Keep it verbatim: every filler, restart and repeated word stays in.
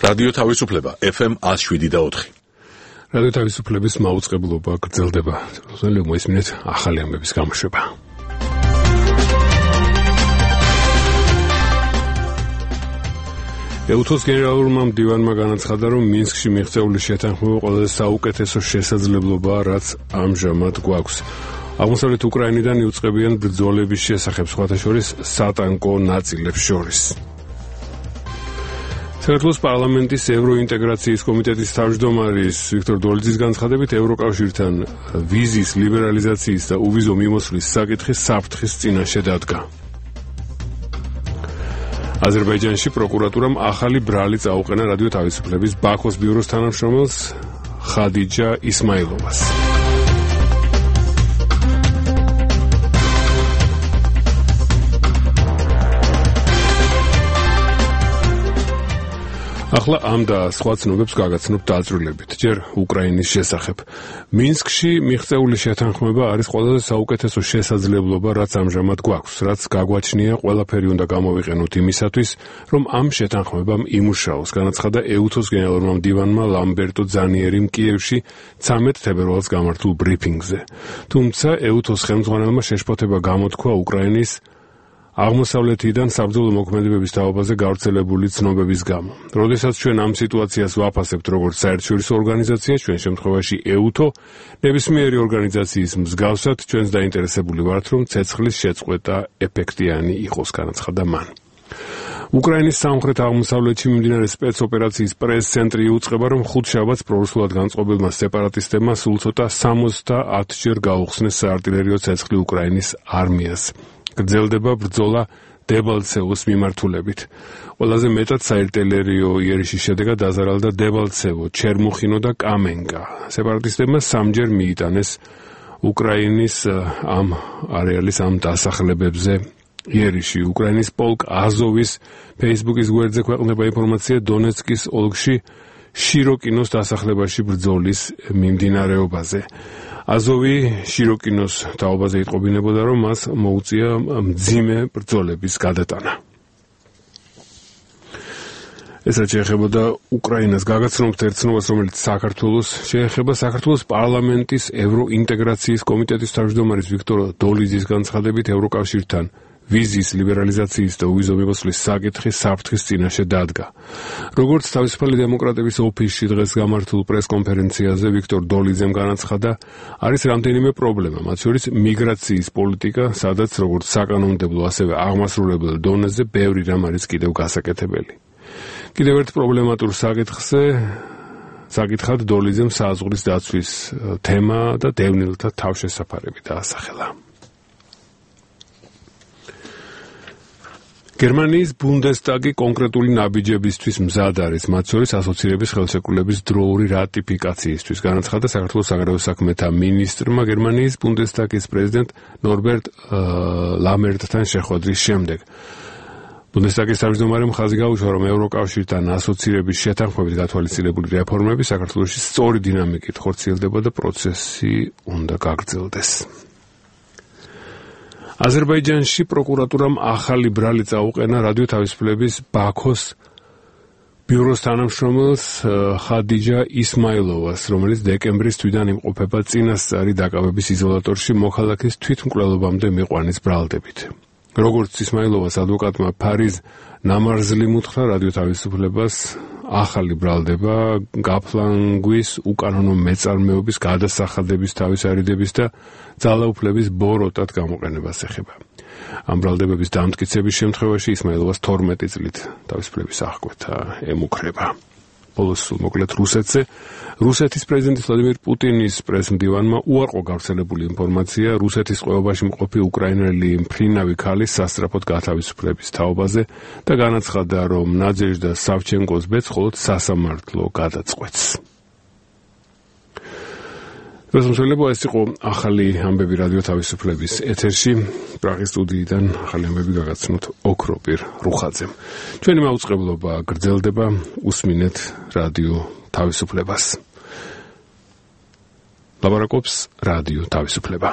რადიო თავისუფლება ეფ ემ one oh seven point four. რადიო თავისუფლების მაუწყებლობა გრძელდება. ზოგადად მოისმინეთ ახალი ამბების გამოშვება. ეუთოს გენერალურმა მდივანმა განაცხადა, რომ მინსკში მიღწეული შეთანხმება ყველაზე საუკეთესო შესაძლებლობაა, რაც ამჟამად გვაქვს. აღმოსავლეთ უკრაინიდან იუწყებიან ბრძოლების შესახებ, სხვათა შორის სატანკო ნაწილებს შორის. საქართველოს პარლამენტის ევროინტეგრაციის კომიტეტის თავმჯდომარის ვიქტორ დოლიძის განცხადებით, ევროკავშირთან ვიზის ლიბერალიზაციის და უვიზო მიმოსვლის საკითხი საფრთხის წინაშე დადგა. აზერბაიჯანში პროკურატურამ ახალი ბრალი წაუყენა რადიო თავისუფლების ბაქოს ბიუროს თანამშრომელს ხადიჯა ისმაილოვას. ახლა ამ და სხვა ცნობებს გაგაცნობთ დაწვრილებით, ჯერ უკრაინის შესახებ. მინსკში მიღწეული შეთანხმება არის ყველაზე საუკეთესო შესაძლებლობა, რაც ამჟამად გვაქვს, რაც გაგვაჩნია, ყველაფერი უნდა გამოვიყენოთ იმისათვის, რომ ამ შეთანხმებამ იმუშაოს, განაცხადა ეუთოს გენერალურმა მდივანმა ლამბერტო ძანიერიმ კიევში ცამეტ თებერვალს გამართულ ბრიფინგზე. თუმცა ეუთოს ხელმძღვანელმა შეშფოთება გამოთქვა უკრაინის აღმოსავლეთიდან საბრძოლო მოქმედებების თაობაზე გავრცელებული ცნობების გამო. როდესაც ჩვენ ამ სიტუაციას ვაფასებთ როგორც საერთაშორისო ორგანიზაცია, ჩვენ შემთხვევაში ეუთო, ნებისმიერი ორგანიზაციის მსგავსად, ჩვენს დაინტერესებული ვართ, რომ ცეცხლის შეწყვეტა ეფექტიანი იყოს, განაცხადა მან. უკრაინის სამხრეთ აღმოსავლეთში მიმდინარე სპეცოპერაციის პრეს-ცენტრი იუწყება, რომ ხუთშაბათს პრორუსულად განწყობილმა სეპარატისტებმა სულ ცოტა სამოცდაათჯერ გაუხსნეს საარტილერიო ცეცხლი უკრაინის არმიას. გრძელდება ბრძოლა დებალცევოს მიმართულებით. ყველაზე მეტად საარტილერიო იერიშის შედეგად დაზარალდა დებალცევო, ჩერმუხინო და კამენკა. სეპარატისტებმა სამჯერ მიიტანეს უკრაინის ამ არეალის ამ დასახლებებზე იერიში. უკრაინის პოლკ აზოვის ფეისბუქის გვერდზე ქვეყნდება ინფორმაცია დონეცკის ოლქში შიროკინოს დასახლებაში ბრძოლის მიმდინარეობაზე. აზოვი შიროკინოს თაობაზე იტყობინებოდა, რომ მას მოუწია მძიმე ბრძოლების გადატანა. ეს რაც შეეხებოდა უკრაინას, გაგაცნობთ ერთ ცნობას, რომელიც საქართველოს შეეხება. საქართველოს პარლამენტის ევროინტეგრაციის კომიტეტის თავმჯდომარის ვიქტორ დოლიძის განცხადებით, ევროკავშირთან ვიზის ლიბერალიზაციის და უვიზო მიმოსვლის საკითხი საფრთხის წინაშე დადგა. როგორც თავისუფალი დემოკრატების ოფისში დღეს გამართულ პრესკონფერენციაზე ვიქტორ დოლიძემ განაცხადა, არის რამდენიმე პრობლემა, მათ შორის მიგრაციის პოლიტიკა, სადაც როგორც საკანონმდებლო, ასევე აღმასრულებელ დონეზე ბევრი რამ არის კიდევ გასაკეთებელი. კიდევ ერთ პრობლემატურ საკითხზე საკითხად დოლიძემ საზღვრის დაცვის თემა და დევნილთა თავშესაფარები დაასახელა. გერმანიის ბუნდესტაგი კონკრეტული ნაბიჯებისთვის მზად არის, მათ შორის ასოცირების ხელშეკრულების დროური რატიფიკაციისთვის, განაცხადა საქართველოს საგარეო საქმეთა მინისტრმა გერმანიის ბუნდესტაგის პრეზიდენტ ნორბერტ ლამერტთან შეხვედრის შემდეგ. ბუნდესტაგის თავმჯდომარემ ხაზი გაუშვა, რომ ევროკავშირთან ასოცირების შეთანხმებით გათვალისწინებული რეფორმები საქართველოში სწორი დინამიკით ხორციელდება და პროცესი უნდა გაგრძელდეს. აზერბაიჯანში პროკურატურამ ახალი ბრალი წაუყენა რადიო თავისუფლების ბაქოს ბიუროს თანამშრომელს ხადიჯა ისმაილოვას, რომელიც დეკემბრის თვიდან იმყოფება წინასწარი დაკავების იზოლატორში მოქალაქის თვითმკვლელობამდე მიყვანის ბრალდებით. როგორც ისმაილოვას ადვოკატმა ფარიზ ნამარზლიმ უთხრა, რადიო თავისუფლებას ახალი ბრალდება გაფლანგვის, უკანონო მეწარმეობის, გადასახადების, თავისარიდების და ძალაუფლების ბოროტად გამოყენებას ეხება. ამ ბრალდებების დამტკიცების შემთხვევაში ისმაილოვას თორმეტი წლით თავისუფლების აღკვეთა ემუქრება. ბოლოს მოკლედ რუსეთზე. რუსეთის პრეზიდენტის ვლადიმირ პუტინის პრესმდივანმა უარყო გავრცელებული ინფორმაცია რუსეთის ყოებაში მყოფი უკრაინელი მფრინავი ქალის სასწრაფოდ გათავისუფლების თაობაზე და განაცხადა, რომ ნადეჟდა სავჩენკოს ბედს მხოლოდ სასამართლო გადაწყვეტს. რუსთაველებო, ეს იყო ახალი ამბები რადიო თავისუფლების ეთერში. პრაღის სტუდიიდან ახალი ამბები გაგაცნოთ ოქროპირ რუხაძემ. ჩვენი მაუწყებლობა გრძელდება, უსმინეთ რადიო თავისუფლებას. ლაბარაკობს რადიო თავისუფლება.